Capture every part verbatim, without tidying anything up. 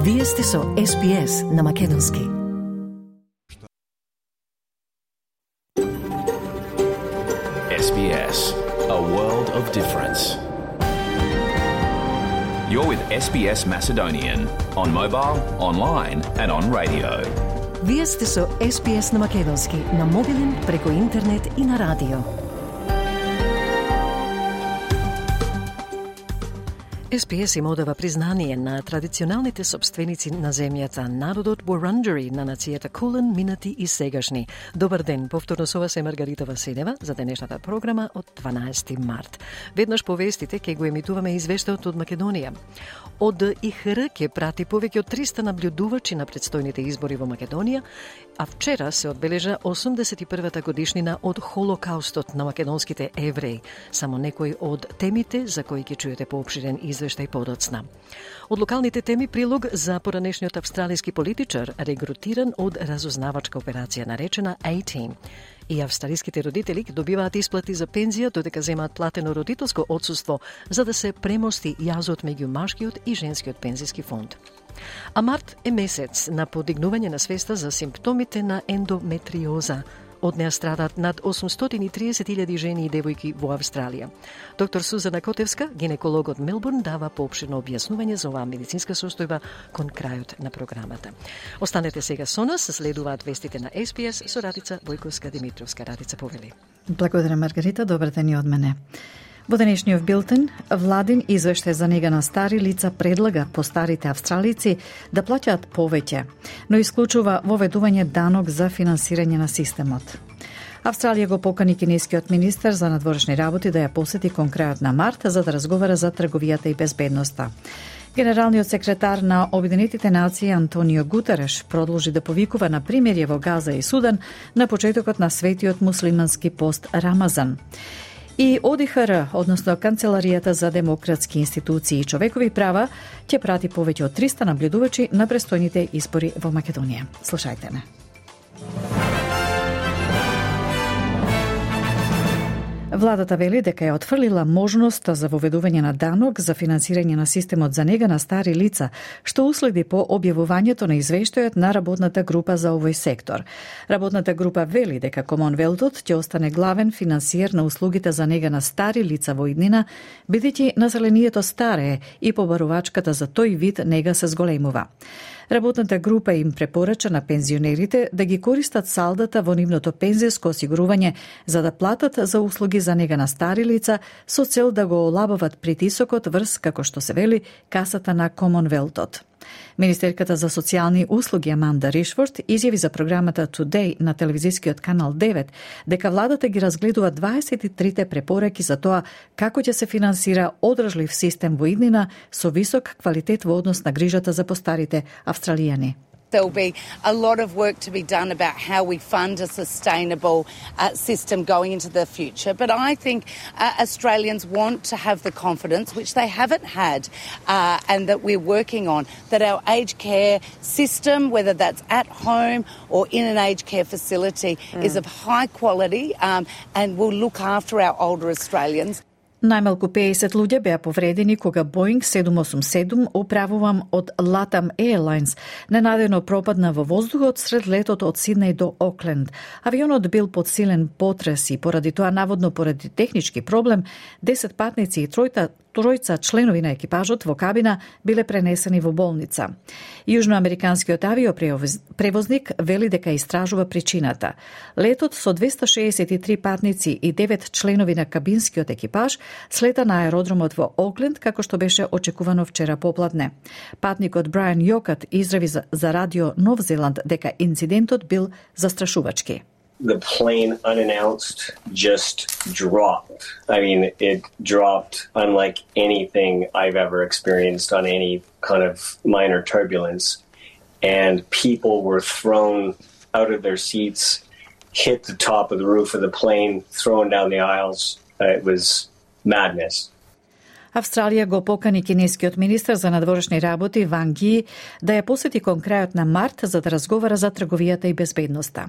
Вие сте со Ес Би Ес на македонски. Ес Би Ес, a world of difference. You're with Ес Би Ес Macedonian on mobile, online and on radio. Вие сте со Ес Би Ес на македонски, на мобилен, преку интернет и на радио. Ес Би Ес им одава признание на традиционалните собственици на земјата, народот Вурунджери на нацијата Кулен, минати и сегашни. Добар ден, повторно со вас е Маргарита Василева за денешната програма од дванаесети март. Веднаш по вестите ќе го емитуваме извештајот од Македонија. Од И Х Р ќе прати повеќе од триста наблюдувачи на предстојните избори во Македонија, а вчера се одбележа осумдесет и првата годишнина од Холокаустот на македонските евреи. Само некои од темите за кои ќе чуете поопширен извештај подоцна. Од локалните теми прилог за поранешниот австралиски политичар, регрутиран од разузнавачка операција наречена A-Team. И австралиските родители добиваат исплати за пензија додека земаат платено родителско отсуство за да се премости јазот меѓу машкиот и женскиот пензиски фонд. А март е месец на подигнување на свеста за симптомите на ендометриоза. Од неа страдат над осумстотини и триесет илјади жени и девојки во Австралија. Доктор Сузана Котевска, гинеколог од Мелбурн, дава поопширно објаснување за оваа медицинска состојба кон крајот на програмата. Останете сега со нас, следуваат вестите на Ес Би Ес со Радица Војковска-Димитровска. Радица, повели. Благодаря, Маргарита. Добар ден и од мене. Во денешниот билтен, владин извештај за нега на стари лица предлага по старите австралици да плаќаат повеќе, но исклучува воведување данок за финансирање на системот. Австралија го покани кинескиот министер за надворешни работи да ја посети кон крајот на март за да разговара за трговијата и безбедноста. Генералниот секретар на Обединетите нации Антонио Гутереш продолжи да повикува на примирје во Газа и Судан на почетокот на светиот муслимански пост Рамазан. И О Ди Х Р, односно Канцеларијата за демократски институции и човекови права, ќе прати повеќе од триста наблюдувачи на престојните избори во Македонија. Слушајте ме. Владата вели дека ја отфрлила можноста за воведување на данок за финансирање на системот за нега на стари лица, што уследи по објавувањето на извештајот на работната група за овој сектор. Работната група вели дека Комонвелтот ќе остане главен финансиер на услугите за нега на стари лица во иднина, бидејќи населението старее и побарувачката за тој вид нега се зголемува. Работната група им препорача на пензионерите да ги користат салдата во нивното пензијско осигурување за да платат за услуги за нега на стари лица со цел да го олабават притисокот врз, како што се вели, касата на Комонвелтот. Министерката за социјални услуги Аманда Ришфорд изјави за програмата Today на телевизискиот канал девет дека владата ги разгледува дваесет и трите препораки за тоа како ќе се финансира одржлив систем во иднина со висок квалитет во однос на грижата за постарите австралијани. There'll be a lot of work to be done about how we fund a sustainable uh, system going into the future. But I think uh, Australians want to have the confidence, which they haven't had, uh, and that we're working on, that our aged care system, whether that's at home or in an aged care facility, mm. is of high quality um, and will look after our older Australians. Најмалку пеесет луѓе беа повредени кога Боинг седум осум седум, управуван од Latam Airlines, ненадејно пропадна во воздухот сред летот од Сиднеј до Окленд. Авионот бил под силен потрес и поради тоа, наводно поради технички проблем, десет патници и тројта тројца членови на екипажот во кабина биле пренесени во болница. Јужноамериканскиот авиопревозник вели дека истражува причината. Летот со двеста шеесет и три патници и девет членови на кабинскиот екипаж слета на аеродромот во Окленд, како што беше очекувано вчера попладне. Патникот Брайан Јокат израви за, за радио Нов Зеланд дека инцидентот бил застрашувачки. The plane unannounced just dropped. I mean, it dropped unlike anything I've ever experienced on any kind of minor turbulence. And people were thrown out of their seats, hit the top of the roof of the plane, thrown down the aisles. Uh, it was madness. Австралија го покани кинескиот министер за надворешни работи Ванг Ји да ја посети кон крајот на март за да разговара за трговијата и безбедноста.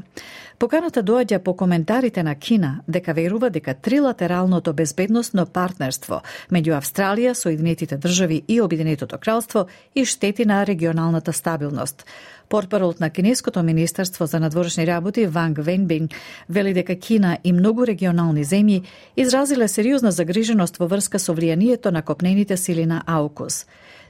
Поканата доаѓа по коментарите на Кина дека верува дека трилатералното безбедносно партнерство меѓу Австралија, Соединетите држави и Обединетото кралство и штети на регионалната стабилност. Портпаролот на Кинеското министерство за надворешни работи Ванг Венбинг вели дека Кина и многу регионални земји изразиле сериозна загриженост во врска со влијанието на копнените сили на АУКУС.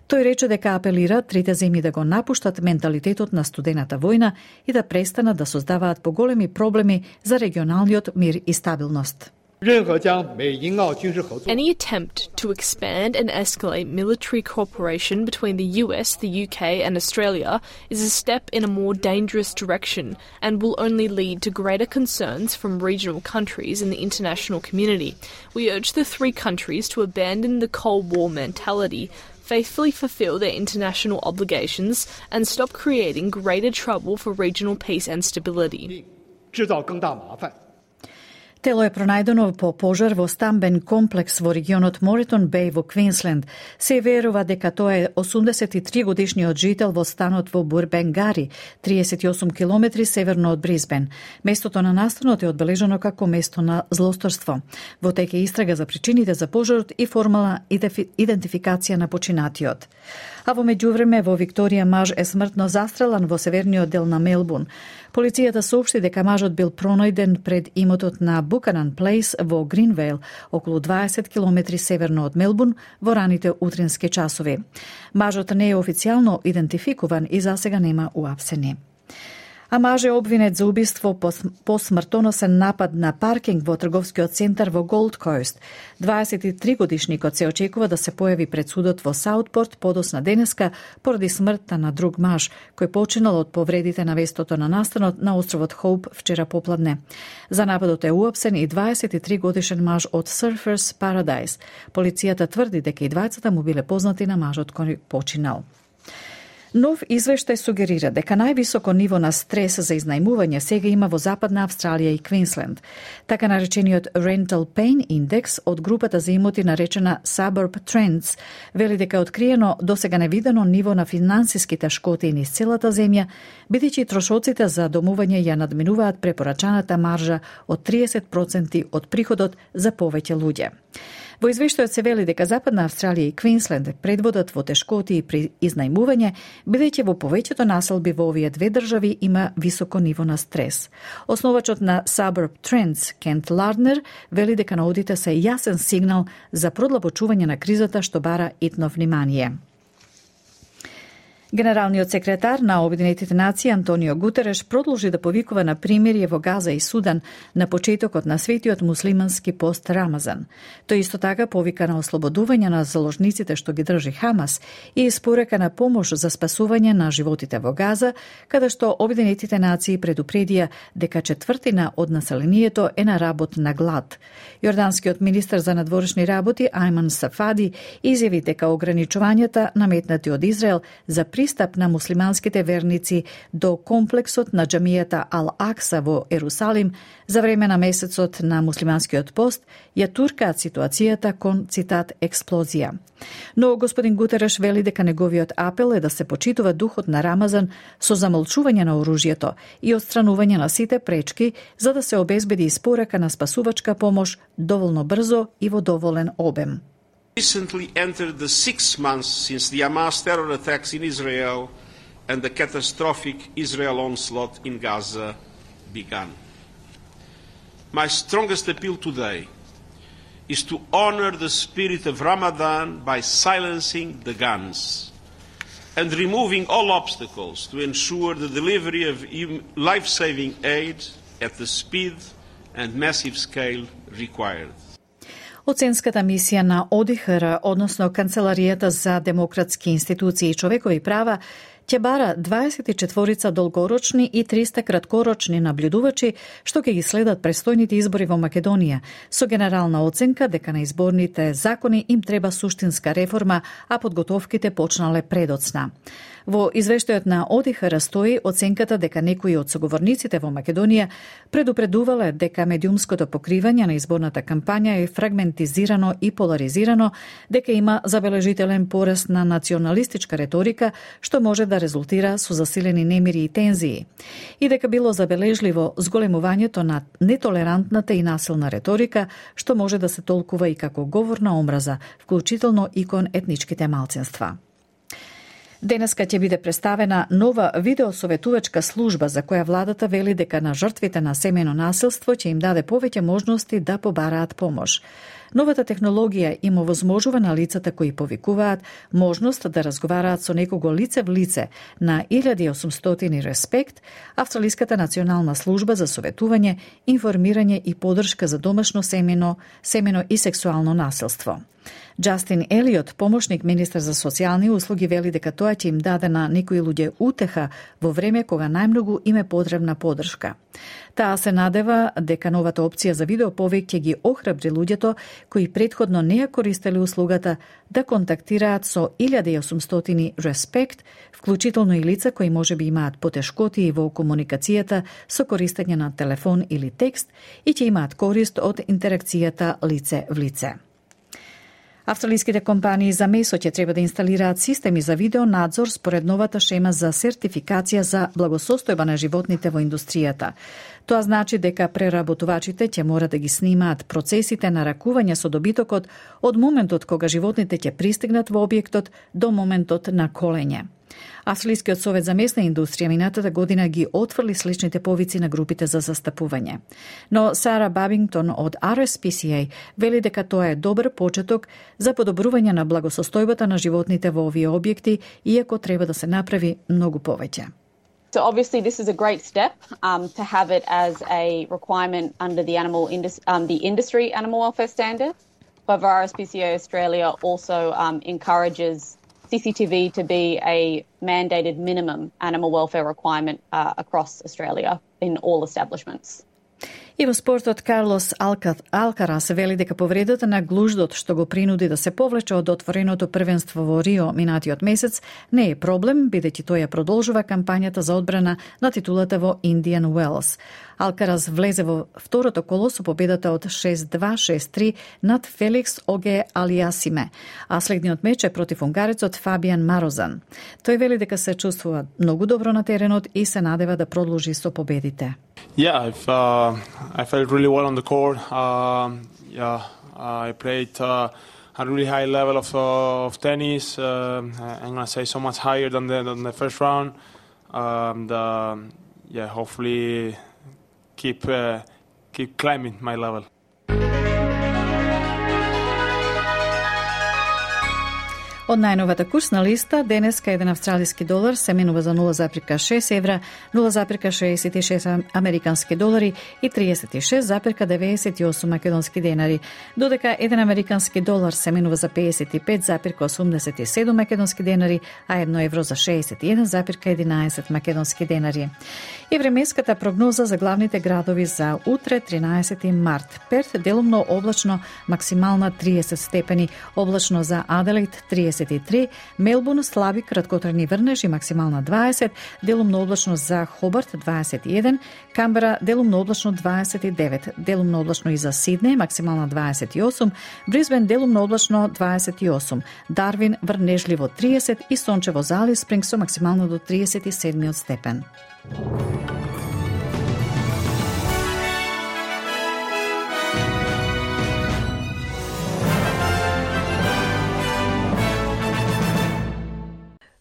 Тој рече дека апелира трите земји да го напуштат менталитетот на студената војна и да престанат да создаваат поголеми проблеми за регионалниот мир и стабилност. Any attempt to expand and escalate military cooperation between the U S, the U K and Australia is a step in a more dangerous direction and will only lead to greater concerns from regional countries in the international community. We urge the three countries to abandon the Cold War mentality, faithfully fulfill their international obligations and stop creating greater trouble for regional peace and stability. Тело е пронајдено по пожар во стамбен комплекс во регионот Моретон Беј во Квинсленд. Се верува дека тоа е осумдесет и три годишниот жител во станот во Бурбенгари, триесет и осум километри северно од Брисбен. Местото на настанот е одбележано како место на злосторство. Во тек е истрага за причините за пожарот и формална идентификација на починатиот. А во меѓувреме во Викторија маж е смртно застрелан во северниот дел на Мелбурн. Полицијата соопшти дека мажот бил пронајден пред имотот на Буканан Плейс во Гринвейл, околу дваесет километри северно од Мелбурн, во раните утрински часови. Мажот не е официјално идентификуван и засега нема уапсени. А маж е обвинет за убиство по, по смртоносен напад на паркинг во трговскиот центар во Голд Кост. дваесет и три годишникот се очекува да се појави пред судот во Саутпорт подосна денеска поради смртта на друг маж, кој починал од повредите на вестото на настанот на островот Хоуп вчера попладне. За нападот е уапсен и дваесет и три годишен маж од Surfers Paradise. Полицијата тврди дека и двајцата му биле познати на мажот кој починал. Нов извештај сугерира дека највисоко ниво на стрес за изнајмување сега има во Западна Австралија и Квинсленд. Така наречениот Rental Pain Index од групата за имоти наречена Suburb Trends вели дека е откриено досега невидено ниво на финансиските шкоти низ целата земја, бидејќи трошоците за домување ја надминуваат препорачаната маржа од триесет проценти од приходот за повеќе луѓе. Во извештајот се вели дека Западна Австралија и Квинсленд предводат во тешкоти при изнајмување, бидејќи во повеќето населби во овие две држави има високо ниво на стрес. Основачот на Suburb Trends, Кент Ларднер, вели дека наодите се јасен сигнал за продлабочување на кризата што бара итно внимание. Генералниот секретар на Обединетите нации Антонио Гутереш продолжи да повикува на примирие во Газа и Судан на почетокот на светиот муслимански пост Рамазан. Тој исто така повика на ослободување на заложниците што ги држи Хамас и испорека на помош за спасување на животите во Газа, каде што Обединетите нации предупредија дека четвртина од населението е на работ на глад. Јорданскиот министер за надворешни работи Ајман Сафади изјави дека ограничувањата наметнати од Израел за пристап на муслиманските верници до комплексот на џамијата Ал-Акса во Ерусалим за време на месецот на муслиманскиот пост ја туркаат ситуацијата кон, цитат, експлозија. Но господин Гутереш вели дека неговиот апел е да се почитува духот на Рамазан со замолчување на оружјето и отстранување на сите пречки за да се обезбеди испорека на спасувачка помош доволно брзо и во доволен обем. Recently entered the six months since the Hamas terror attacks in Israel and the catastrophic Israel onslaught in Gaza began. My strongest appeal today is to honor the spirit of Ramadan by silencing the guns and removing all obstacles to ensure the delivery of life-saving aid at the speed and massive scale required. Оценската мисија на О Д Х Р, односно Канцеларијата за демократски институции и човекови права, ќе бара дваесет и четири долгорочни и триста краткорочни наблюдувачи што ќе ги следат престојните избори во Македонија, со генерална оценка дека на изборните закони им треба суштинска реформа, а подготовките почнале предоцна. Во извештајот на О Д Х Р стои оценката дека некои од соговорниците во Македонија предупредувале дека медиумското покривање на изборната кампања е фрагментизирано и поларизирано, дека има забележителен пораст на националистичка реторика, што може да резултира со засилени немири и тензии, и дека било забележливо зголемувањето на нетолерантната и насилна реторика, што може да се толкува и како говор на омраза, вклучително и кон етничките малцинства. Денеска ќе биде представена нова видеосоветувачка служба за која владата вели дека на жртвите на семејно насилство ќе им даде повеќе можности да побараат помош. Новата технологија им овозможува на лицата кои повикуваат можност да разговараат со некого лице в лице на илјада и осумстотини Респект, Австралиската национална служба за советување, информирање и поддршка за домашно семено, семено и сексуално насилство. Джастин Елиот, помошник министар за социјални услуги, вели дека тоа ќе им даде на некои луѓе утеха во време кога најмногу им е потребна поддршка. Таа се надева дека новата опција за видеоповик ќе ги охрабри луѓето кои претходно не ја користеле услугата да контактираат со илјада и осумстотини Респект, вклучително и лица кои можеби имаат потешкоти во комуникацијата со користење на телефон или текст и ќе имаат корист од интеракцијата лице в лице. Австралиските компании за месо ќе треба да инсталираат системи за видеонадзор според новата шема за сертификација за благосостојба на животните во индустријата. Тоа значи дека преработувачите ќе мора да ги снимаат процесите на ракување со добитокот од моментот кога животните ќе пристигнат во објектот до моментот на колење. Австралискиот совет за месна индустрија минатата година ги отфрли сличните повици на групите за застапување. Но Сара Бабингтон од Ар Ес Пи Си Ей вели дека тоа е добар почеток за подобрување на благосостојбата на животните во овие објекти, иако треба да се направи многу повеќе. So obviously this is a great step um, to have it as a requirement under the animal indus- um, the industry animal welfare standard. However, R S P C A Australia also um, encourages C C T V to be a mandated minimum animal welfare requirement uh, across Australia in all establishments. И во спортот Карлос Алкарас вели дека повредата на глуждот што го принуди да се повлече од отвореното првенство во Рио минатиот месец не е проблем, бидејќи тој ја продолжува кампањата за одбрана на титулата во Индиан Уелс. Алкарас влезе во второто коло со победата од шест два шест три над Феликс Оге Алиасиме, а следниот меч е против унгарецот Фабиан Марозан. Тој вели дека се чувствува многу добро на теренот и се надева да продолжи со победите. Yeah, I've, uh, I felt really well on the court. Uh, yeah, I played uh, a really high level of, uh, of tennis. Uh, I'm going to say so much higher than the, than the first round. And, uh, yeah, hopefully keep uh, keep climbing my level. Од најновата курсна листа, денеска еден австралиски долар се менува за нула запирка шест евра, нула запирка шеесет и шест американски долари и триесет и шест запирка деветдесет и осум македонски денари, додека еден американски долар се менува за педесет и пет запирка осумдесет и седум македонски денари, а едно евро за шеесет и еден запирка единаесет македонски денари. И временската прогноза за главните градови за утре, тринаесети март. Перт делумно облачно, максимална триесет степени, облачно за Аделаид триесет и три, Мелбурн слаби краткотрajни врнежи, максимална дваесет, делумно облачно за Хобарт дваесет и еден, Камбера делумно облачно дваесет и девет, делумно облачно и за Сиднеј, максимална дваесет и осум, Брисбен делумно облачно дваесет и осум, Дарвин врнежливо триесет и сончево за Алис Спрингс со максимално до триесет и седми степен.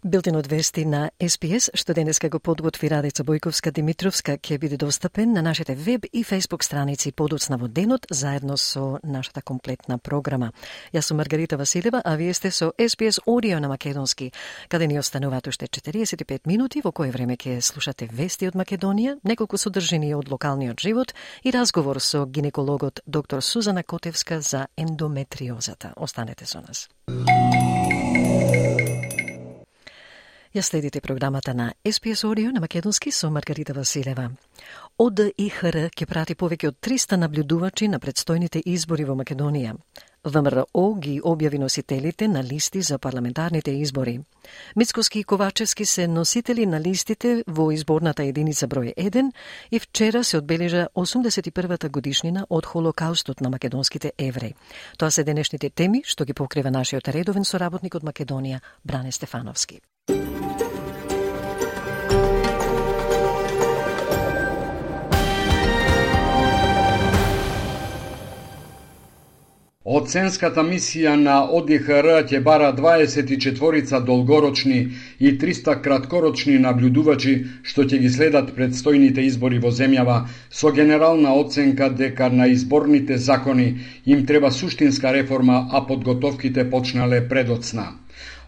Билтенот вести на Ес Пи Ес, што денеска го подготви Радица Бојковска-Димитровска, ќе биде достапен на нашите веб и фејсбук страници подоцна во денот, заедно со нашата комплетна програма. Јас сум Маргарита Василева, а вие сте со Ес Пи Ес Audio на македонски, каде ни остануваат уште четириесет и пет минути, во кој време ќе слушате вести од Македонија, неколку содржини од локалниот живот и разговор со гинекологот доктор Сузана Котевска за ендометриозата. Останете со нас. Ја следите програмата на Ес Пи Ес Audio на македонски со Маргарита Василева. О Д И Х Р ќе прати повеќе од триста наблюдувачи на предстојните избори во Македонија. В М Р О ги објави носителите на листи за парламентарните избори. Мицкоски и Ковачевски се носители на листите во изборната единица број еден и вчера се одбележа осумдесет и првата годишнина од Холокаустот на македонските евреи. Тоа се денешните теми што ги покрива нашиот редовен соработник од Македонија, Бране Стефановски. Оценската мисија на О Д И Х Р ќе бара дваесет и четворица долгорочни и триста краткорочни наблюдувачи што ќе ги следат предстојните избори во земјава со генерална оценка дека на изборните закони им треба суштинска реформа, а подготовките почнале предоцна.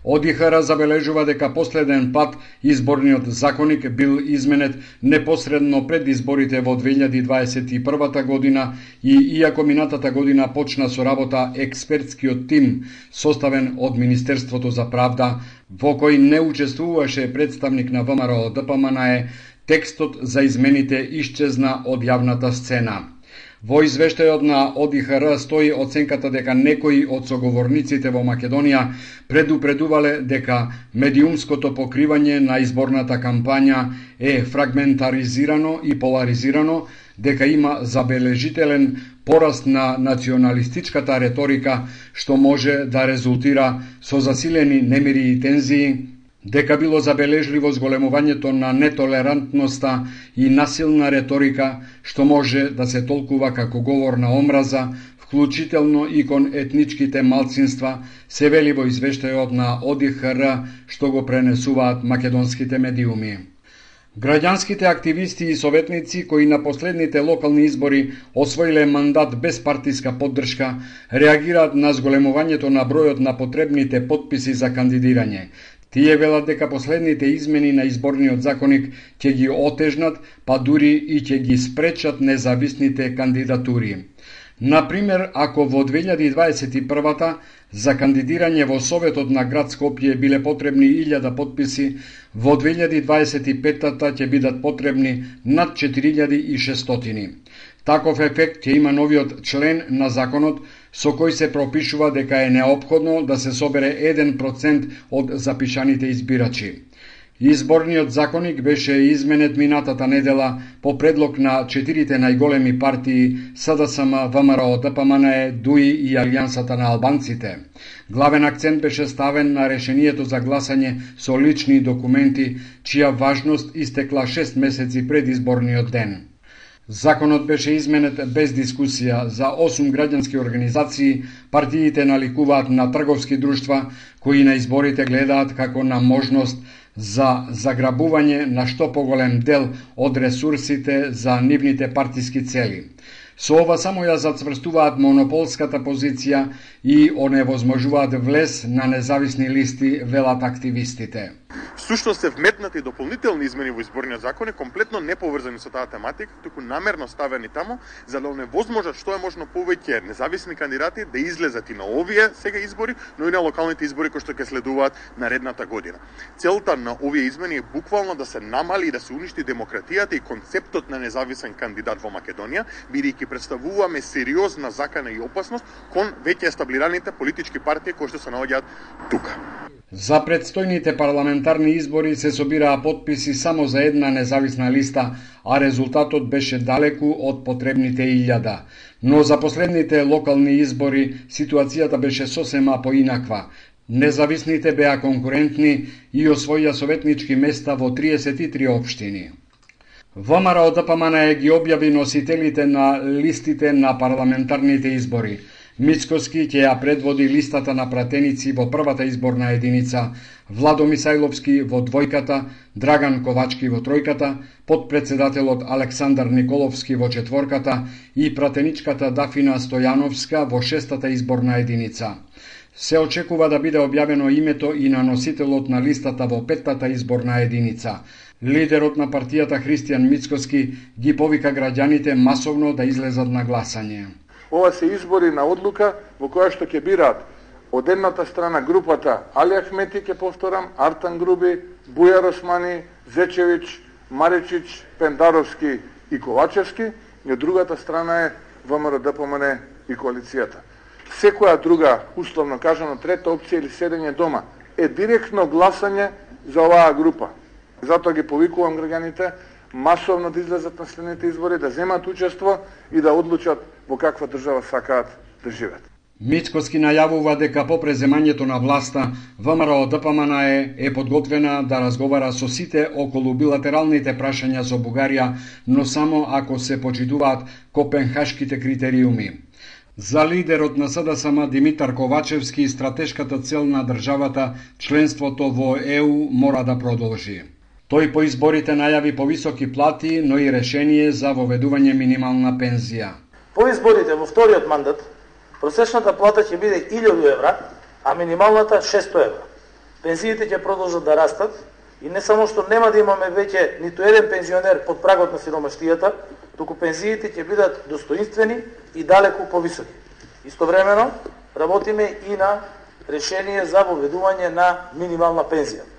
О Д И Х Р забележува дека последен пат изборниот законник бил изменет непосредно пред изборите во две илјади дваесет и првата година и иако минатата година почна со работа експертскиот тим составен од Министерството за правда, во кој не учествуваше представник на В М Р О Д П М Н Е, текстот за измените исчезна од јавната сцена. Во извештајот на О Д И Х Р стои оценката дека некои од соговорниците во Македонија предупредувале дека медиумското покривање на изборната кампања е фрагментаризирано и поларизирано, дека има забележителен пораст на националистичката реторика што може да резултира со засилени немири и тензии, дека било забележливо зголемувањето на нетолерантноста и насилна реторика што може да се толкува како говор на омраза, вклучително и кон етничките малцинства, се вели во извештајот на О Д И Х Р што го пренесуваат македонските медиуми. Граѓанските активисти и советници кои на последните локални избори освоиле мандат без партиска поддршка, реагираат на зголемувањето на бројот на потребните потписи за кандидирање. Тие велат дека последните измени на изборниот законник ќе ги отежнат, па дури и ќе ги спречат независните кандидатури. Например, ако во две илјади дваесет и првата за кандидирање во Советот на град Скопје биле потребни илјада потписи, во две илјади дваесет и петата ќе бидат потребни над четири илјади и шестстотини. Таков ефект ќе има новиот член на законот со кој се пропишува дека е неопходно да се собере еден процент од запишаните избирачи. Изборниот законник беше изменет минатата недела по предлог на четирите најголеми партии С Д С М, В М Р О Д П М Н Е, Д У И и Алијансата на албанците. Главен акцент беше ставен на решението за гласање со лични документи, чија важност истекла шест месеци пред изборниот ден. Законот беше изменет без дискусија. За осум граѓански организации партиите наликуваат на трговски друштва кои на изборите гледаат како на можност за заграбување на што поголем дел од ресурсите за нивните партиски цели. Со ова само ја зацврстуваат монополската позиција и оневозможуваат влез на независни листи, велат активистите. Всушност се вметнати дополнителни измени во изборниот закон, комплетно неповрзани со таа тематика, туку намерно ставени тамо за да оневозможат што е можно повеќе независни кандидати да излезат и на овие сега избори, но и на локалните избори кои што ќе следуваат наредната година. Целта на овие измени е буквално да се намали и да се уништи демократијата и концептот на независен кандидат во Македонија, бидејќи представуваме сериозна закана и опасност кон веќе естаблираните политички партии кои што се наоѓаат тука. За предстојните парламентарни избори се собираа потписи само за една независна листа, а резултатот беше далеку од потребните илјада. Но за последните локални избори ситуацијата беше сосема поинаква. Независните беа конкурентни и освоија советнички места во триесет и три општини. В М Р О Д П М Н Е ги објави носителите на листите на парламентарните избори. Мицкоски ќе ја предводи листата на пратеници во првата изборна единица, Владо Мисајловски во двојката, Драган Ковачки во тројката, подпредседателот Александар Николовски во четворката и пратеничката Дафина Стојановска во шестата изборна единица. Се очекува да биде објавено името и на носителот на листата во петтата изборна единица. Лидерот на партијата Христијан Мицкоски ги повика граѓаните масовно да излезат на гласање. Ова се избори на одлука во која што ќе бираат од едната страна групата Али Ахмети, ке повторам, Артан Груби, Бујар Османи, Зечевич, Маричич, Пендаровски и Ковачевски, и од другата страна е ВМРО-ДПМН и коалицијата. Секоја друга, условно кажано, трета опција или седење дома е директно гласање за оваа група. Затоа ги повикувам граѓаните масовно да излезат на следните избори, да земат учество и да одлучат во каква држава сакаат да живеат. Мицкоски најавува дека по преземањето на власта ВМРО-ДПМН е, е подготвена да разговара со сите околу билатералните прашања со Бугарија, но само ако се почитуваат копенхашките критериуми. За лидерот на СДСМ Димитар Ковачевски, стратешката цел на државата, членството во Е У, мора да продолжи. Тој по изборите најави повисоки плати, но и решение за воведување минимална пензија. По изборите во вториот мандат, просечната плата ќе биде илјаду евра, а минималната шестоста евра. Пензиите ќе продолжат да растат и не само што нема да имаме веќе ниту еден пензионер под прагот на сиромаштијата, туку пензиите ќе бидат достоинствени и далеку повисоки. Истовремено работиме и на решение за воведување на минимална пензија.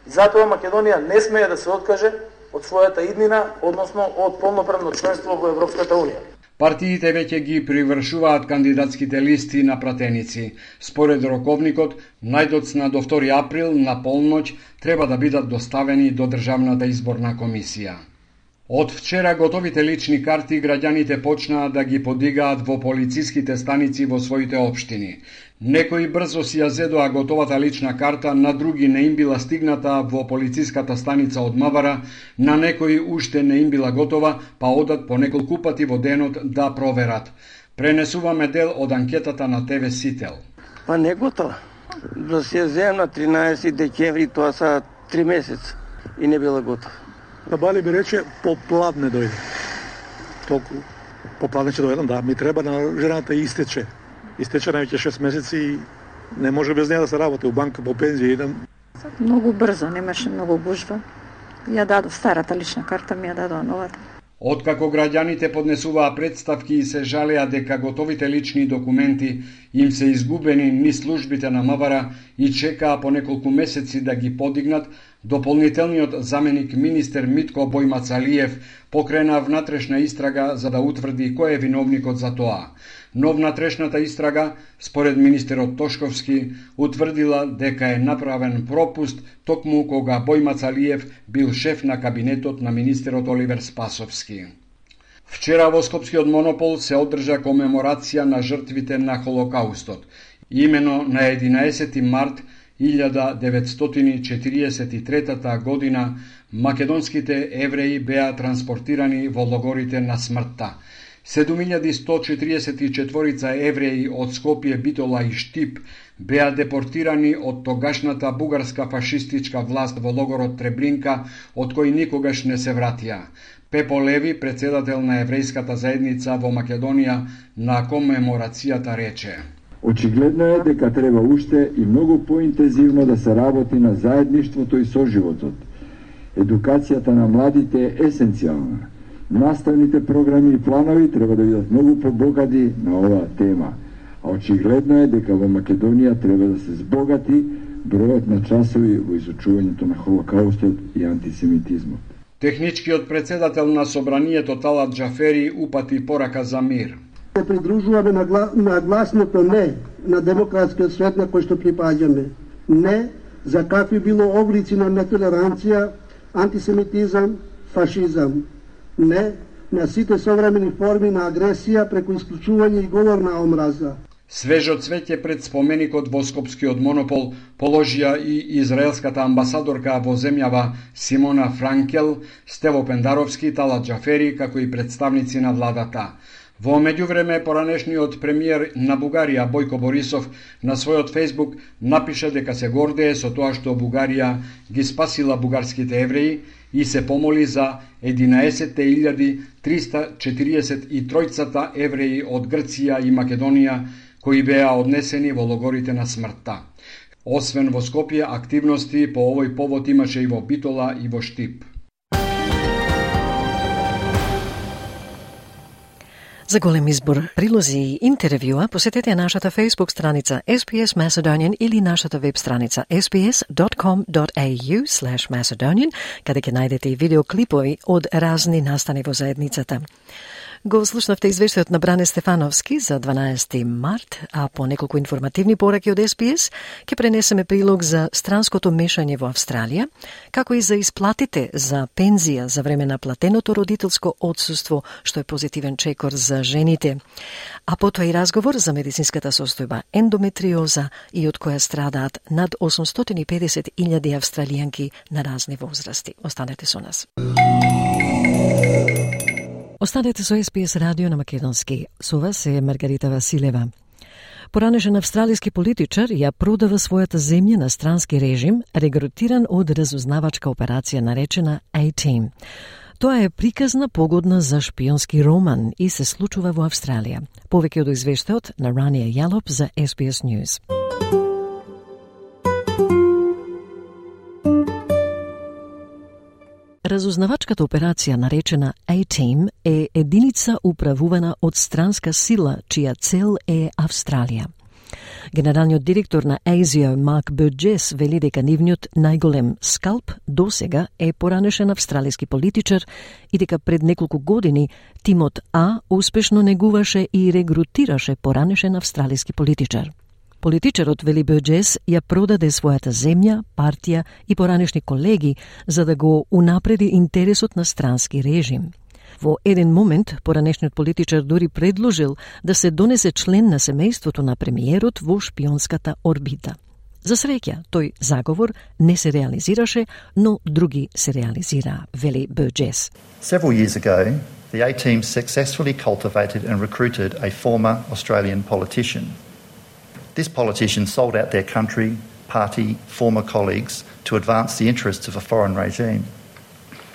И затоа Македонија не смее да се откаже од својата иднина, односно од полноправно членство во Европската Унија. Партиите веќе ги привршуваат кандидатските листи на пратеници. Според роковникот, најдоцна до втори април на полноќ треба да бидат доставени до Државната изборна комисија. Од вчера готовите лични карти граѓаните почнаа да ги подигаат во полициските станици во своите општини. Некои брзо си ја зедоа готовата лична карта, на други не им била стигната во полициската станица од Мавара, на некои уште не им била готова, па одат по неколку пати во денот да проверат. Пренесуваме дел од анкетата на Те Ве Сител. Па не готова. Да се земам на тринаесети декември, тоа са три месеца и не била готова. Да Бали би рече, попладне дојде. Толку попладне ќе дојдам, да, ми треба на жената истече. Истече највеќе шест месеци и не може без неја да се работи. У банка по пензија идам. Многу брзо, немаше многу гужва. Ја дадов старата лична карта, ми ја дадоа новата. Откако граѓаните поднесуваа представки и се жалеа дека готовите лични документи им се изгубени низ службите на Мавара и чекаа по неколку месеци да ги подигнат, дополнителниот заменик министер Митко Бојмацалиев покрена внатрешна истрага за да утврди кој е виновникот за тоа. Но внатрешната истрага, според министерот Тошковски, утврдила дека е направен пропуст токму кога Бојмацалиев бил шеф на кабинетот на министерот Оливер Спасовски. Вчера во Скопскиот монопол се одржа комеморација на жртвите на Холокаустот. Имено на единаесети март илјада деветстотини четириесет и трета година македонските евреи беа транспортирани во логорите на смртта. седум илјади сто четириесет и четири евреи од Скопје, Битола и Штип беа депортирани од тогашната бугарска фашистичка власт во логорот Требринка, од кој никогаш не се вратија. Пепо Леви, председател на еврејската заедница во Македонија, на комеморацијата рече: Очигледно е дека треба уште и многу поинтензивно да се работи на заедништвото и соживотот. Едукацијата на младите е есенцијална. Наставните програми и планови треба да бидат многу побогати на оваа тема. А очигледно е дека во Македонија треба да се збогати бројот на часови во изучувањето на Холокаустот и антисемитизмот. Техничкиот председател на собранието Талат Джафери упати порака за мир. Се придружуваме на, гла... на гласното не на демократскиот свет на кој што припаѓаме. Не за какви било облици на нетолеранција, антисемитизам, фашизам. Не на сите современи форми на агресија преку исклучување и говор на омраза. Свежо цвеќе пред споменикот во Скопскиот монопол положија и израелската амбасадорка во земјава Симона Франкел, Стево Пендаровски, Талат Джафери, како и представници на владата. Во меѓувреме, поранешниот премиер на Бугарија Бојко Борисов на својот Фејсбук напиша дека се гордее со тоа што Бугарија ги спасила бугарските евреи и се помоли за единаесет илјади триста четириесет и три евреи од Грција и Македонија кои беа однесени во логорите на смртта. Освен во Скопје, активности по овој повод имаше и во Битола и во Штип. За голем избор прилози и интервјуа посетете нашата Facebook страница S B S Macedonian или нашата веб страница s b s dot com dot a u slash macedonian, каде ќе најдете и видеоклипови од разни настани во заедницата. Го слушнавте извештајот на Бране Стефановски за дванаесети март, а по неколку информативни пораки од S B S ќе пренесеме прилог за странското мешање во Австралија, како и за исплатите за пензија за време на платеното родителско отсуство, што е позитивен чекор за жените. А потоа и разговор за медицинската состојба ендометриоза и од која страдаат над осумстотини и педесет илјади австралијанки на разни возрасти. Останете со нас. Останете со S B S радио на македонски. Со вас е Маргарита Василева. Поранешен австралиски политичар ја продава својата земја на странски режим, регрутиран од разузнавачка операција наречена A-Team. Тоа е приказна погодна за шпионски роман и се случува во Австралија. Повеќе од извештајот на Рания Јалоп за S B S News. Разузнавачката операција наречена A-Team е единица управувана од странска сила, чија цел е Австралија. Генералниот директор на ASIO, Марк Бурджес, вели дека нивниот најголем скалп досега е поранешен австралиски политичар и дека пред неколку години тимот А успешно негуваше и регрутираше поранешен австралиски политичар. Политичарот, вели Бурджес, ја продаде својата земја, партија и поранешни колеги за да го унапреди интересот на странски режим. Во еден момент, поранешниот политичар дури предложил да се донесе член на семејството на премиерот во шпионската орбита. За среќа, тој заговор не се реализираше, но други се реализираа, вели Бурджес. Several years ago, the A-Team successfully cultivated and recruited a former Australian politician. This politician sold out their country, party, former colleagues to advance the interests of a foreign regime.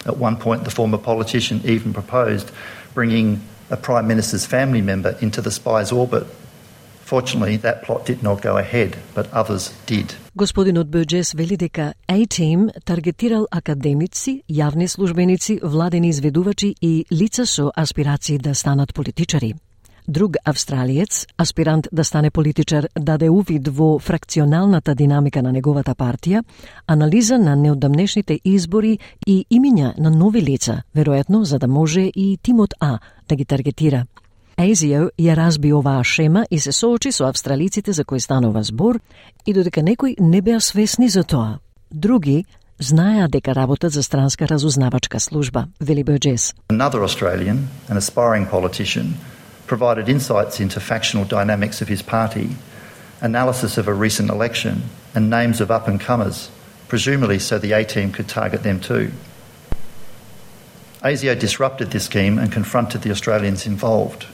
At one point, the former politician even proposed bringing a Prime Minister's family member into the spy's orbit. Fortunately, that plot did not go ahead, but others did. Господинот Бурджес вели дека A-Team таргетирал академици, јавни службеници, владени изведувачи и лица со аспирации да станат политичари. Друг австралиец, аспирант да стане политичар, даде увид во фракционалната динамика на неговата партија, анализа на неодамнешните избори и имиња на нови лица, веројатно за да може и тимот А да ги таргетира. ASIO ја разби оваа шема и се соочи со австралиците за кои станува збор и додека некои не беа свесни за тоа. Други знаеа дека работат за странска разузнавачка служба, вели Бурджес. Another Australian, an aspiring politician, provided insights into factional dynamics of his party, analysis of a recent election, and names of up-and-comers, presumably so the A-Team could target them too. ASIO disrupted this scheme and confronted the Australians involved.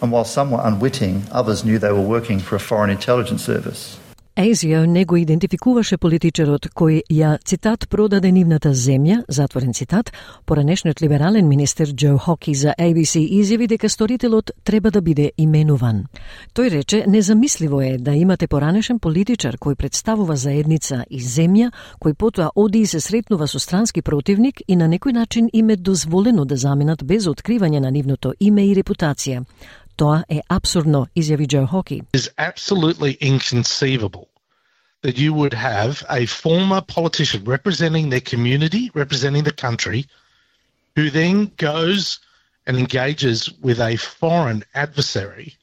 And while some were unwitting, others knew they were working for a foreign intelligence service. ASIO не го идентификуваше политичарот кој ја, цитат, продаде нивната земја, затворен цитат, поранешниот либерален министер Џо Хоки за A B C изјави дека сторителот треба да биде именуван. Тој рече, незамисливо е да имате поранешен политичар кој представува заедница и земја, кој потоа оди и се сретнува со странски противник и на некој начин им е дозволено да заменат без откривање на нивното име и репутација. Тоа е абсурдно, изјави Џо Хоки. It is absolutely inconceivable that you would have a former politician representing their community, representing the country, who then goes and engages with a foreign adversary,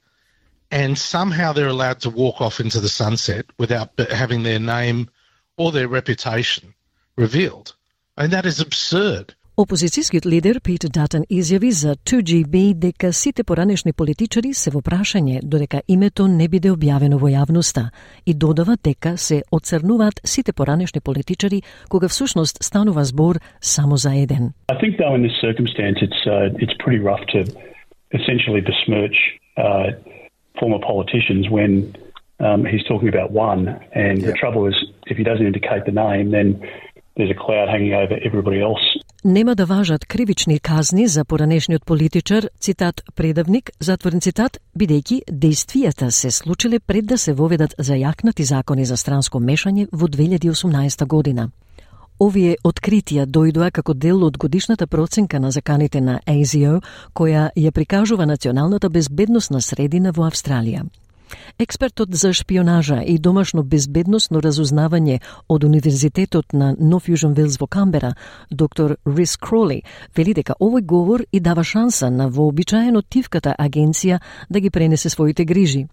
and somehow they're allowed to walk off into the sunset without having their name or their reputation revealed. And that is absurd. Опозицијскиот лидер Пит Датон изјави за two G B дека сите поранешни политичари се во прашање додека името не биде објавено во јавноста и додава дека се оцрнуваат сите поранешни политичари кога всушност станува збор само за еден. I think though in this circumstance it's uh, it's pretty rough to essentially besmirch uh, former politicians when um, he's talking about one, and yeah. The trouble is if he doesn't indicate the name then there's a cloud hanging over everybody else. Нема да важат кривични казни за поранешниот политичар, цитат, предавник, затворен цитат, бидејќи действијата се случиле пред да се воведат зајакнати закони за странско мешање во две илјади и осумнаесета година. Овие откритија дојдоа како дел од годишната проценка на заканите на А С И О, која ја прикажува националната безбедносна средина во Австралија. Експертот за шпионажа и домашно безбедносно разузнавање од Универзитетот на Нов Јужен Велс во Камбера, доктор Рис Кроли, вели дека овој говор и дава шанса на вообичаено тивката агенција да ги пренесе своите грижи.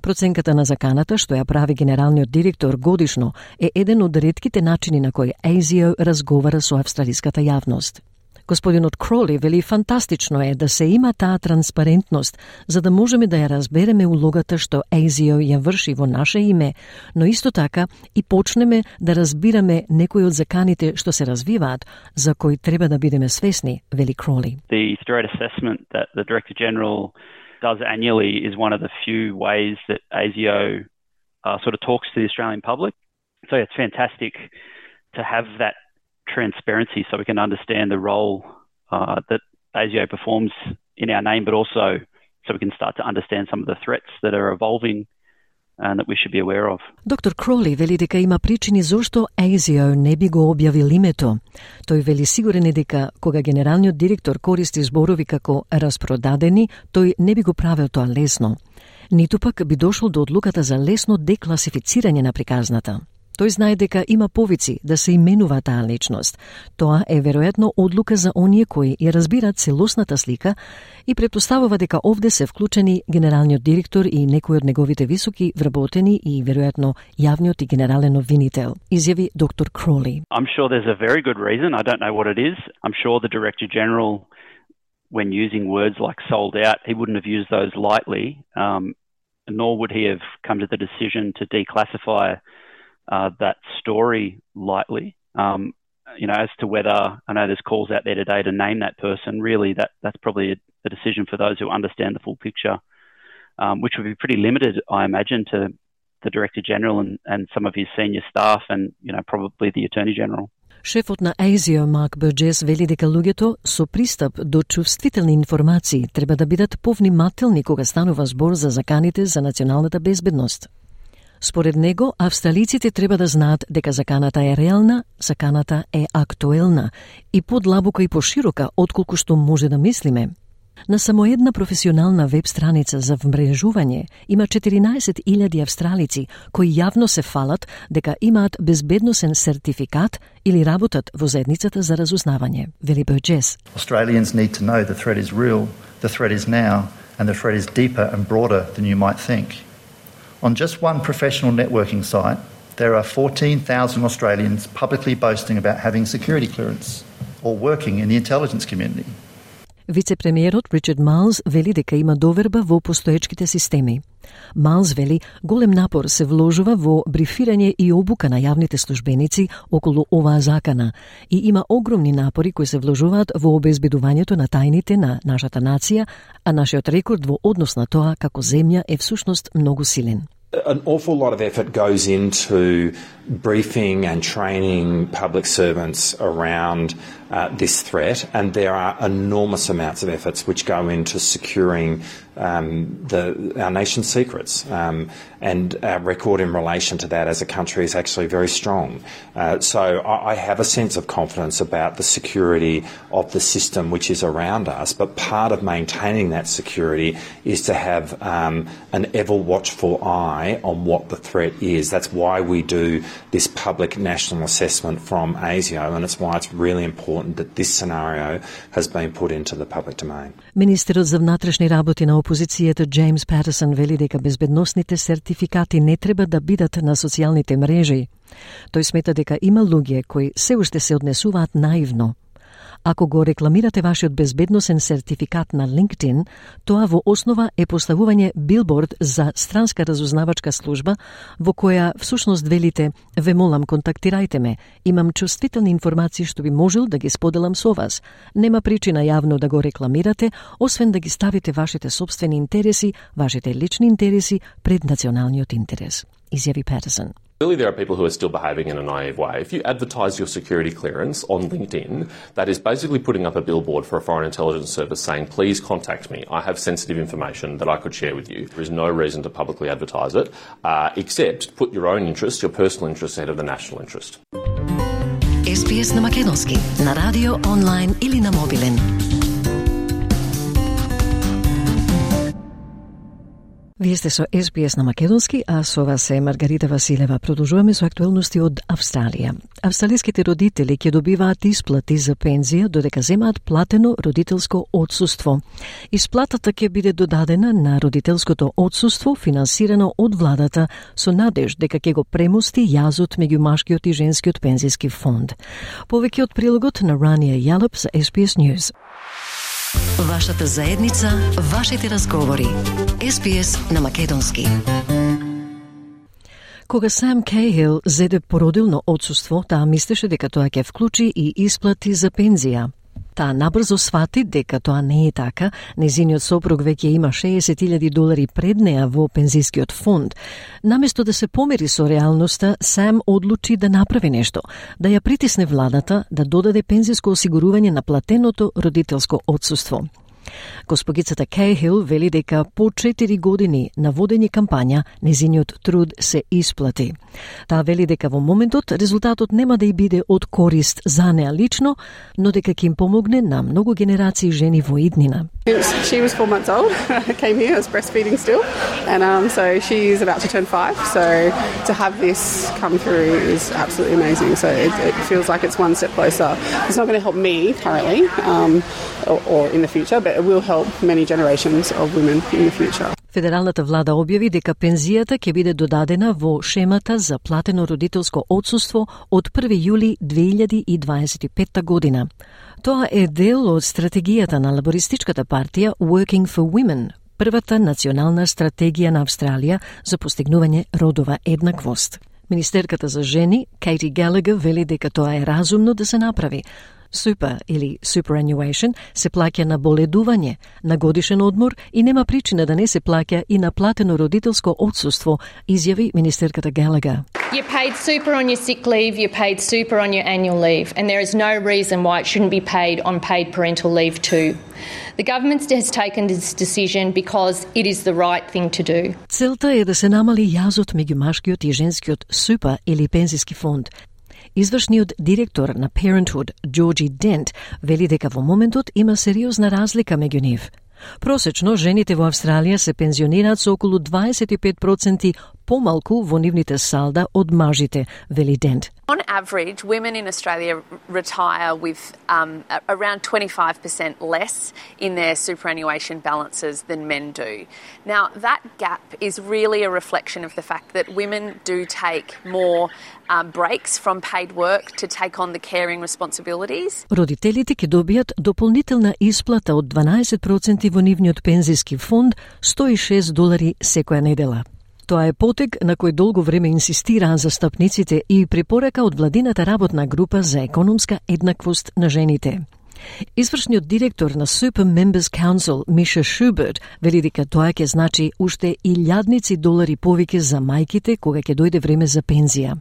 Проценката на заканата, што ја прави генералниот директор годишно, е еден од ретките начини на кој А С И О разговара со австралиската јавност. Господинот Кроли вели фантастично е да се има таа транспарентност, за да можеме да ја разбереме улогата што А С И О ја врши во наше име, но исто така и почнеме да разбираме некои од заканите што се развиваат, за кои треба да бидеме свесни, вели Кроли. The threat assessment that the Director General does annually is one of the few ways that A S I O uh, sort of talks to the Australian public. So it's fantastic to have that transparency so we can understand the role uh, that A S I O performs in our name, but also so we can start to understand some of the threats that are evolving and that we should be aware of. Доктор Кроли вели дека има причини зошто А С И О не би го објавил името. Тој вели сигурен е дека кога генералниот директор користи зборови како распродадени, тој не би го правил тоа лесно. Ниту пак би дошол до одлуката за лесно декласифицирање на приказната. Тој знае дека има повици да се именува таа личност. Тоа е веројатно одлука за оние кои ја разбираат целосната слика и претпоставува дека овде се вклучени генералниот директор и некои од неговите високи вработени и веројатно јавниот и генерален обвинител, изјави доктор Кроли. I'm sure there's a very good reason. I don't know what it is. I'm sure the Director General, when using words like sold out, he wouldn't have used those lightly, um, nor would he have come to the decision to declassify Uh, that story lightly. Um, you know, as to whether, I know there's calls out there today to name that person, really that, that's probably a, a decision for those who understand the full picture, um, which would be pretty limited, I imagine, to the Director General and, and some of his senior staff and, you know, probably the Attorney General. Шефот на А С И О Марк Бурджес вели дека луѓето со пристап до чувствителни информации треба да бидат повнимателни кога станува збор за заканите за националната безбедност. Според него, австралиците треба да знаат дека заканата е реална, заканата е актуелна и подлабока и поширока отколку што може да мислиме. На само една професионална веб страница за вмрежување има четиринаесет илјади австралици кои јавно се фалат дека имаат безбедносен сертификат или работат во заедницата за разузнавање, вели Бурджес. Australians need to know the threat is real, the threat is now, and the threat is deeper and broader than you might think. On just one professional networking site, there are fourteen thousand Australians publicly boasting about having security clearance or working in the intelligence community. Вице-премиерот Ричард Майлз вели дека има доверба во постоечките системи. Майлз вели голем напор се вложува во брифирање и обука на јавните службеници околу оваа закана и има огромни напори кои се вложуваат во обезбедувањето на тајните на нашата нација, а нашиот рекорд во однос на тоа како земја е всушност многу силен. An awful lot of effort goes into briefing and training public servants around uh, this threat, and there are enormous amounts of efforts which go into securing um, the, our nation's secrets, um, and our record in relation to that as a country is actually very strong. Uh, so I, I have a sense of confidence about the security of the system which is around us, but part of maintaining that security is to have um, an ever watchful eye on what the threat is. That's why we do this public national assessment from A S I O, and it's why it's really important that this scenario has been put into the public domain. Министерот за внатрешни работи на опозицијата Джеймс Патерсон вели дека безбедносните сертификати не треба да бидат на социјалните мрежи. Тој смета дека има луѓе кои се уште се однесуваат наивно. Ако го рекламирате вашиот безбедносен сертификат на LinkedIn, тоа во основа е поставување билборд за странска разузнавачка служба во која всушност велите: "Ве молам, контактирајте ме, имам чувствителни информации што би можел да ги споделам со вас. Нема причина јавно да го рекламирате, освен да ги ставите вашите собствени интереси, вашите лични интереси пред националниот интерес", изјави Патерсон. Clearly there are people who are still behaving in a naive way. If you advertise your security clearance on LinkedIn, that is basically putting up a billboard for a foreign intelligence service saying, "Please contact me. I have sensitive information that I could share with you." There is no reason to publicly advertise it, uh, except put your own interest, your personal interest ahead of the national interest. Ес Би Ес на македонски, на радио, онлайн или на мобилен. Вие сте со Ес Би Ес на македонски, а со вас е Маргарита Василева. Продолжуваме со актуелности од Австралија. Австралиските родители ќе добиваат исплати за пензија додека земаат платено родителско отсуство. Исплатата ќе биде додадена на родителското отсуство, финансирано од владата, со надеж дека ќе го премости јазот меѓу машкиот и женскиот пензиски фонд. Повеќе од прилогот на Рания Јалеп за Ес Би Ес News. Вашата заедница, вашите разговори. Ес Би Ес на македонски. Кога Сам Кейхил зеде породилно отсуство, таа мислеше дека тоа ќе вклучи и исплати за пензија. Таа набрзо свати дека тоа не е така. Незиниот сопруг веќе има шеесет илјади долари пред неа во пензискиот фонд. Наместо да се помери со реалноста, Сам одлучи да направи нешто, да ја притисне владата да додаде пензиско осигурување на платеното родителско отсуство. Госпогицата Кейхил вели дека по четири години на водење кампања незиниот труд се исплати. Таа вели дека во моментот резултатот нема да и биде од корист за неа лично, но дека ќе им помогне на многу генерации жени во иднина. She was four months old. I came here, I was breastfeeding still, and um, so she's about to turn five. So to have this come through is absolutely amazing. So it, it feels like it's one step closer. It's not going to help me currently um, or, or in the future, but it will help many generations of women in the future. Федералната влада објави дека пензијата ќе биде додадена во шемата за платено родителско отсуство од први јули две илјади и дваесет и петта година. Тоа е дел од стратегијата на лабористичката партија Working for Women, првата национална стратегија на Австралија за постигнување родова еднаквост. Министерката за жени, Кейти Галагер, вели дека тоа е разумно да се направи. Супер или superannuation се плаќа на боледување, на годишен одмор и нема причина да не се плаќа и на платено родителско отсуство, изјави министерката Галагер. You're paid super on your sick leave, you're paid super on your annual leave, and there is no reason why it shouldn't be paid on paid parental leave too. The government has taken this decision because it is the right thing to do. Целта е да се намали јазот меѓу машкиот и женскиот супа или пензиски фонд. Извршниот директор на Parenthood, Джорджи Дент, вели дека во моментот има сериозна разлика меѓу нив. Просечно, жените во Австралија се пензионираат со околу дваесет и пет проценти помалку во нивните салда од мажите, вели Дент. On average, women in Australia retire with um, around twenty-five percent less in their superannuation balances than men do. Now, that gap is really a reflection of the fact that women do take more um, breaks from paid work to take on the caring responsibilities. Родителите ќе добијат дополнителна исплата од дванаесет проценти во нивниот пензиски фонд, сто и шест долари секоја недела. Тоа е потег на кој долго време инсистираа застапниците и препорака од владината работна група за економска еднаквост на жените. Извршниот директор на Super Members Council, Миша Шуберт, вели дека тоа ќе значи уште илјадници долари повеќе за мајките кога ќе дојде време за пензија.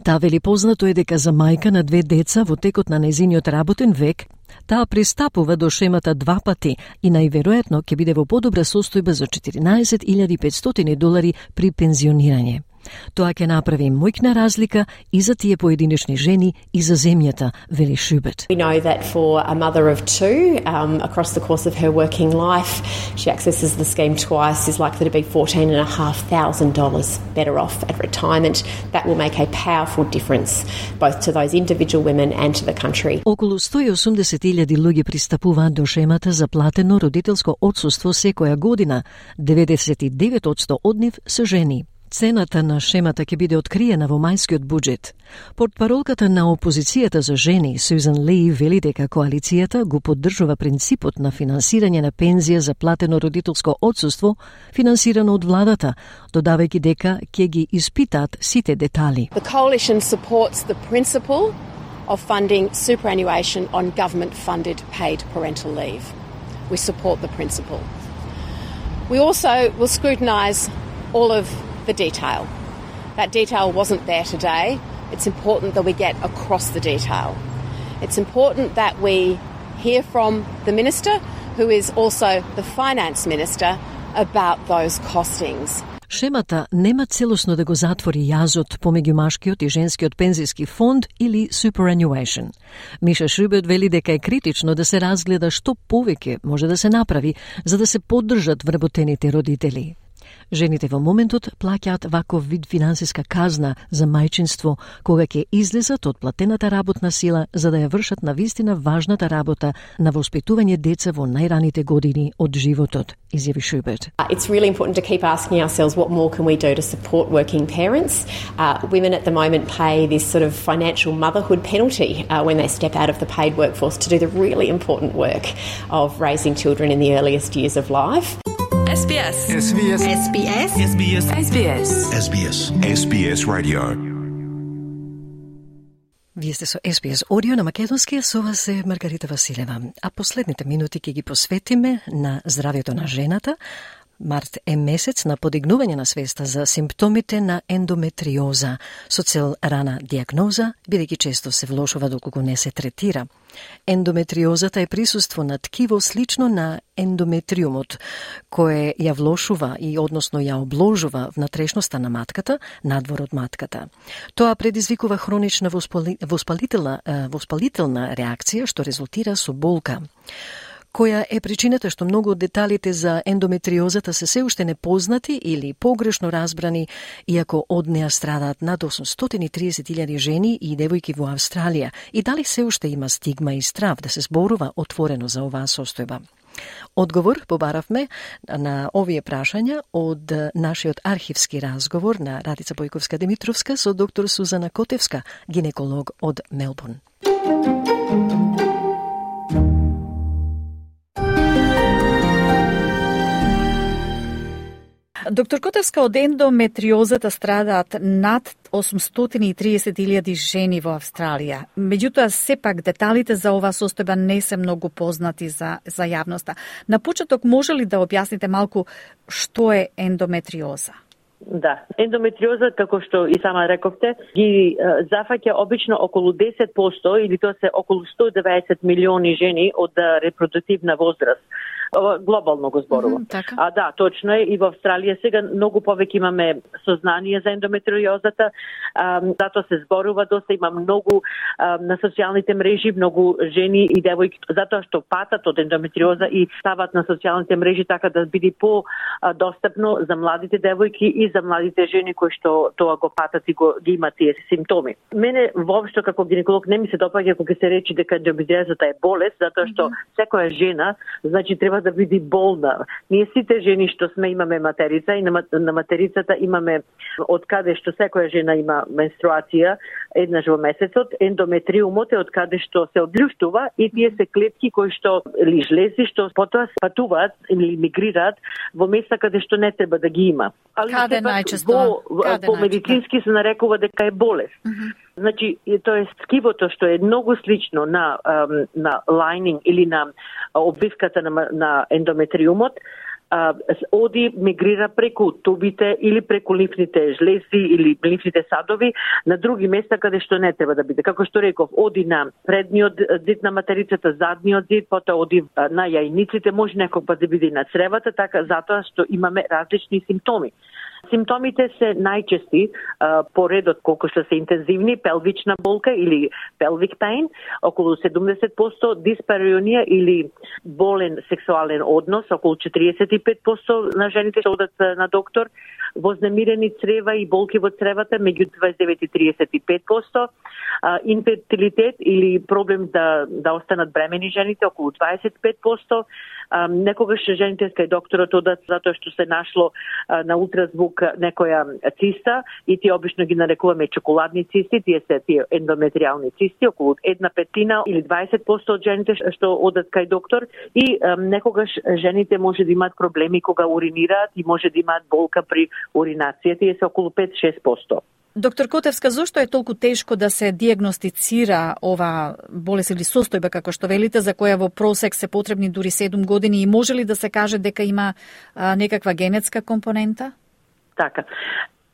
Таа вели познато е дека за мајка на две деца во текот на незиниот работен век, таа пристапува до шемата два пати и најверојатно ќе биде во подобра состојба за четиринаесет илјади и петстотини долари при пензионирање. Тоа ќе направи мојкна разлика и за тие поединечни жени и за земјата, вели Шуберт. We know that for a mother of two, um, across the course of her working life, she accesses the scheme twice, is likely to be fourteen and a half thousand dollars better off at retirement. That will make a powerful difference both to those individual women and to the country. Околу сто и осумдесет илјади луѓе пристапуваат до шемата за платено родителско отсуство секоја година. деветдесет и девет одсто од нив се жени. Цената на шемата ќе биде откриена во мајскиот буџет. Портпаролката на опозицијата за жени, Сюзан Ли, вели дека коалицијата го поддржува принципот на финансирање на пензија за платено родителско отсуство, финансирано од владата, додавајќи дека ќе ги испитаат сите детали. The coalition supports the principle of funding superannuation on government-funded paid parental leave. We support the principle. We also will scrutinise all of the detail. That detail wasn't there today. It's important that we get across the detail. It's important that we hear from the Minister, who is also the Finance Minister, about those costings. Шемата нема целосно да го затвори јазот помеѓу машкиот и женскиот пензиски фонд или superannuation. Миша Шубет вели дека е критично да се разгледа што повеќе може да се направи за да се поддржат вработените родители. Жените во моментот плаќаат ваков вид финансиска казна за мајчинство кога ќе излезат од платената работна сила за да ја вршат навистина важната работа на воспитување деца во најраните години од животот, изјави Шубет. It's really important to keep asking ourselves what more can we do to support working parents. Uh, women at the moment pay this sort of financial motherhood penalty uh, when they step out of the paid workforce to do the really important work of raising children in the earliest years of life. S B S. S B S. S B S. S B S. S B S. S B S. S B S Radio. Вие сте со С Б С Audio на македонски, со вас е Маргарита Василева. А последните минути ќе ги посветиме на здравјето на жената. Март е месец на подигнување на свеста за симптомите на ендометриоза, со цел рана диагноза, бидејќи често се влошува доколку не се третира. Ендометриозата е присуство на ткиво слично на ендометриумот, кое ја влошува и односно ја обложува внатрешноста на матката, надвор од матката. Тоа предизвикува хронична воспали... воспалителна, воспалителна реакција, што резултира со болка. Која е причината што многу од деталите за ендометриозата се се уште непознати или погрешно разбрани, иако од неа страдаат над осумстотини и триесет илјади жени и девојки во Австралија, и дали се уште има стигма и страв да се зборува отворено за оваа состојба? Одговор побаравме на овие прашања од нашиот архивски разговор на Радица Бојковска-Димитровска со доктор Сузана Котевска, гинеколог од Мелбурн. Доктор Котевска, од ендометриозата страдаат над осумстотини и триесет илјади жени во Австралија. Меѓутоа, сепак деталите за оваа состојба не се многу познати за, за јавноста. На почеток, може ли да објасните малку што е ендометриоза? Да, ендометриоза, како што и сама рековте, ги зафаќа обично околу десет проценти или тоа се околу сто и деветдесет милиони жени од репродуктивна возраст. Глобално го зборувам. Mm, така. А да, точно е, и во Австралија сега многу повеќе имаме сознание за ендометриозата, а, затоа се зборува доста, има многу а, на социјалните мрежи, многу жени и девојки, затоа што патат од ендометриоза и стават на социјалните мрежи така да биде по-достапно за младите девојки и за младите жени кои што тоа го патат и го ги имат тие симптоми. Мене воопшто како гинеколог не ми се допаѓа кога се речи дека ендометриозата е болест, затоа што mm -hmm. секоја жена, значи треба да биде болна. Ние сите жени што сме имаме материца и на, на материцата имаме од каде што секоја жена има менструација еднаш во месецот, ендометриумот е од каде што се одљуштува и тие се клетки кои што или жлези што потоа спатуваат или мигрираат во места каде што не треба да ги има. Али каде најчесто? Во, каде по медицински се нарекува дека е болест. Mm -hmm. Значи, тоа е ткивото што е многу слично на на лайнинг или на обвивката на, на ендометриумот, а, оди мигрира преку тубите или преку лимфните жлези или лимфните садови на други места каде што не треба да биде. Како што реков, оди на предниот зид на материцата, задниот зид, потоа оди на јајниците, може некој пат да биде и на цревата, така затоа што имаме различни симптоми. Симптомите се најчести а, по редот колку што се интензивни, пелвична болка или pelvic pain, околу седумдесет проценти, диспареонија или болен сексуален однос, околу четириесет и пет проценти на жените што одат на доктор, вознемирени црева и болки во цревата, меѓу дваесет и девет и триесет и пет проценти, а, инфертилитет или проблем да, да останат бремени жените, околу дваесет и пет проценти, а, некогаш жените кај докторот одат затоа што се нашло а, на ултразвук некоја циста и тие обично ги нарекуваме чоколадни цисти, тие се тие ендометриални цисти, околу една петина или дваесет проценти од жените што одат кај доктор и а, некогаш жените може да имаат проблеми кога уринираат и може да имаат болка при уринација, тие се околу пет до шест проценти. Доктор Котевска, зошто е толку тешко да се диагностицира ова болест или состојба, како што велите, за која во просек се потребни дури седум години, и може ли да се каже дека има а, некаква генетска компонента? Така.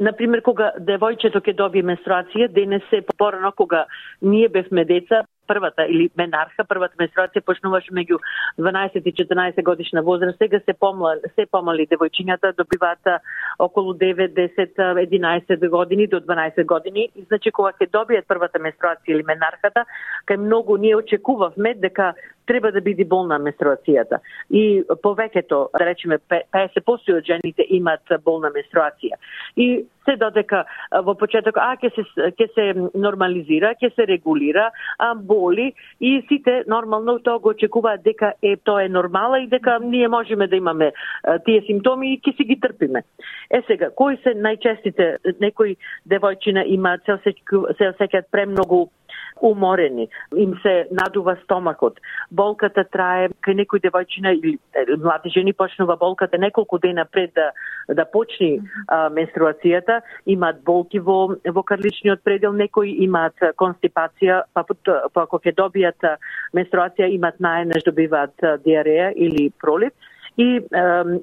например, кога девојчето ќе добие менструација, денес се порано кога ние бевме деца, првата или менарха, првата менструација почнуваше меѓу дванаесет и четрнаесет годишна возраст. Сега се помали, се помали девојчињата добиваат околу девет, десет, единаесет години до дванаесет години. И значи кога ќе добијат првата менструација или менархата, кај многу ние очекувавме дека треба да биде болна менструацијата. И повеќето, да речеме петдесет проценти од жените имаат болна менструација. И се додека во почеток а ќе се ќе се нормализира, ќе се регулира, а боли и сите нормално тоа го очекуваат дека е тоа е нормала и дека ние можеме да имаме а, тие симптоми и ќе си ги трпиме. Е сега, кои се најчестите? Некои девојчина имаат се осеќаат премногу уморени, им се надува стомакот. Болката трае, кај некои девојчина или млади жени почнува болката неколку дена пред да да почне а, менструацијата, имаат болки во во карличниот предел, некои имаат констипација, па па ако ќе добијат менструација имаат наеднаш добиваат диареја или пролив. И е,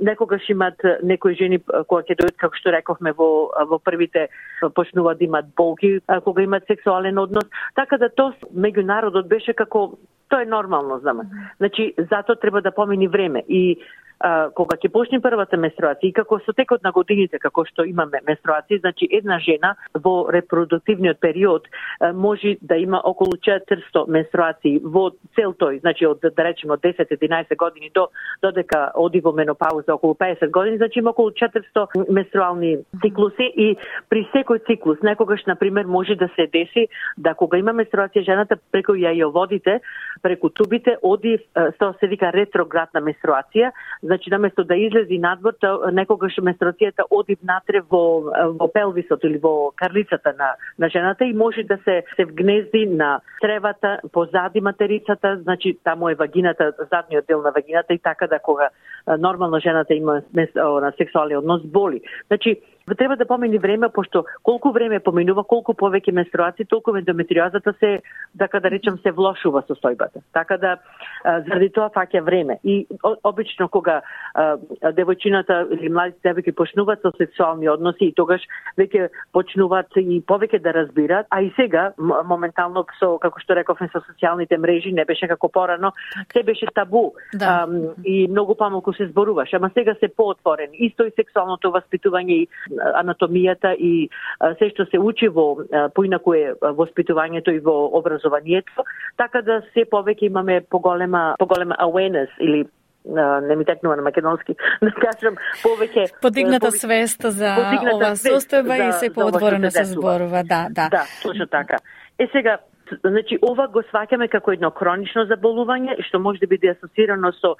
некогаш имат некои жени кога ќе дојдат, како што рековме, во во првите почнуваат да имат болки кога имат сексуален однос, така да тоа меѓу народот беше како тоа е нормално за мене. Значи затоа треба да помини време и а, кога ќе почне првата менструација и како со текот на годините како што имаме менструации, значи една жена во репродуктивниот период а, може да има околу четиристо менструации во цел тој, значи од да речеме од десет до единаесет години до додека оди во менопауза околу петдесет години, значи има околу четиристо менструални циклуси и при секој циклус некогаш на пример може да се деси да кога има менструација жената преку јајоводите, преку тубите оди што се вика ретроградна менструација. Значи, наместо да излези надвор, некогаш менструацијата оди внатре во, во пелвисот или во карлицата на, на жената и може да се, се вгнезди на тревата, позади материцата, значи таму е вагината, задниот дел на вагината и така да кога нормално жената има на сексуален однос боли. Значи, треба да помени време, пошто колку време поминува, колку повеќе менструации, толку ендометриозата се, така да речем, се влошува состојбата. Така да, заради тоа фаќа време. И обично кога а, девојчината или младите девојки почнуваат со сексуални односи и тогаш веќе почнуваат и повеќе да разбираат, а и сега, моментално, со, како што рековме, со социјалните мрежи, не беше како порано, се беше табу да. а, и многу помалку се зборуваше, ама сега се поотворени. Исто и сексуалното воспитување и анатомијата и а, се што се учи во поинаку е воспитувањето и во образованието, така да се повеќе имаме поголема поголема awareness или не ми текнува на македонски, да кажам, повеќе подигната повеќе, свест за подигната ова состојба и се поотворено се зборува, да, да. Да, точно така. Е сега, значи ова го сваќаме како едно хронично заболување што може да биде асоцирано со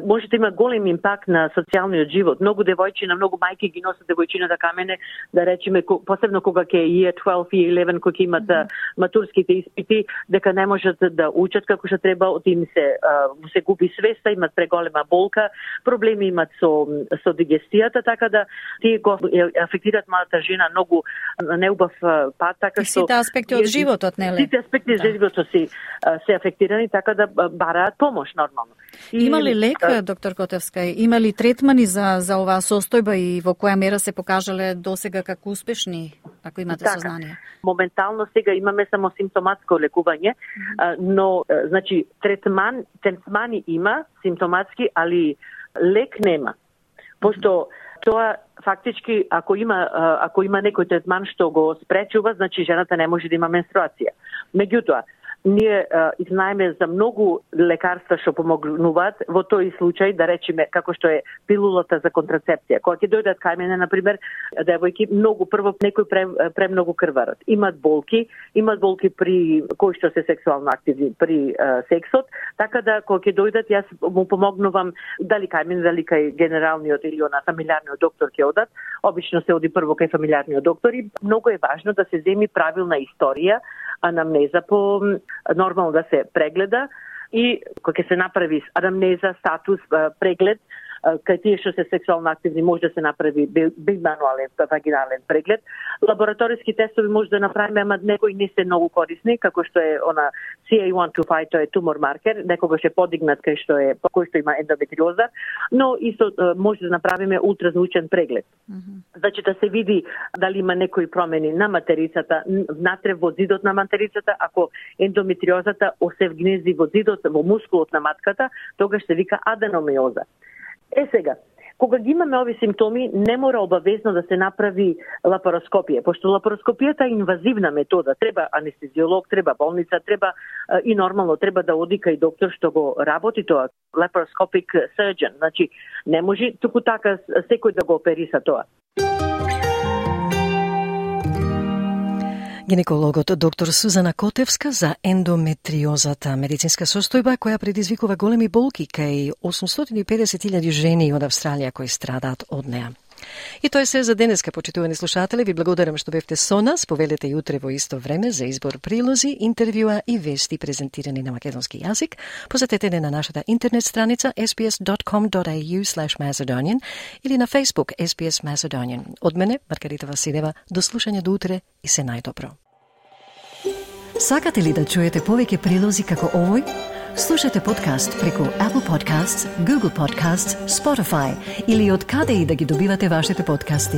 може да има голем импакт на социјалниот живот. Многу девојчина, многу мајки ги носат девојчината камене, да речеме посебно кога ќе е year twelve и eleven кога ќе имат mm-hmm. матурските испити, дека не можат да учат како што треба, од им се се губи свеста, имат преголема болка, проблеми имат со со дигестијата, така да тие го афектираат малата жена многу неубав пат, така што сите аспекти од животот, нели? Сите аспекти да. животот си се афектирани, така да бараат помош нормално. И, има ли лек, да, доктор Котевска? Има ли третмани за за оваа состојба и во која мера се покажале досега како успешни, ако имате така, сознание? Моментално сега имаме само симптоматско лекување, mm-hmm. но значи третман третмани има симптоматски, али лек нема. Пошто mm-hmm. тоа фактички ако има ако има некој третман што го спречува, значи жената не може да има менструација. Меѓутоа, ние и знаеме за многу лекарства што помогнуваат во тој случај, да речеме како што е пилулата за контрацепција. Кога ќе дојдат кај мене, на пример, девојки многу прво некој пре, премногу крварат. Имат болки, имат болки при кои што се сексуално активни при а, сексот, така да кога ќе дојдат јас му помогнувам дали кај мене, дали кај генералниот или на фамилиарниот доктор ќе одат. Обично се оди прво кај фамилиарниот доктор и многу е важно да се земи правилна историја, анамнеза по нормално да се прегледа и кога ќе се направи анамнеза, статус, преглед, кај тие што се сексуално активни може да се направи бимануален вагинален преглед. Лабораториски тестови може да направиме, ама некои не се многу корисни, како што е она си ей едно дваесет пет, тоа е тумор маркер, некогаш е подигнат кај што е кој што има ендометриоза, но исто може да направиме ултразвучен преглед. Mm-hmm. Значи да се види дали има некои промени на материцата, внатре во зидот на материцата, ако ендометриозата се вгнезди во зидот, во мускулот на матката, тогаш се вика аденомиоза. Е сега, кога ги имаме ови симптоми, не мора обавезно да се направи лапароскопија, пошто лапароскопијата е инвазивна метода, треба анестезиолог, треба болница, треба и нормално треба да оди кај доктор што го работи тоа, laparoscopic surgeon, значи не може туку така секој да го опериса тоа. Гинекологот доктор Сузана Котевска за ендометриозата, медицинска состојба која предизвикува големи болки кај осумстотини и педесет илјади жени од Австралија кои страдаат од неа. И тоа е се за денеска, почитувани слушатели. Ви благодарам што бевте со нас. Повелете и утре во исто време за избор прилози, интервјуа и вести презентирани на македонски јазик. Посетете не на нашата интернет страница ес би ес dot com dot a u slash macedonian или на Facebook ес би ес Macedonian. Од мене, Маргарита Василева, до слушање до утре и се најдобро. Сакате ли да чуете повеќе прилози како овој? Слушате подкаст преку Apple Podcasts, Google Podcasts, Spotify или од каде и да ги добивате вашите подкасти.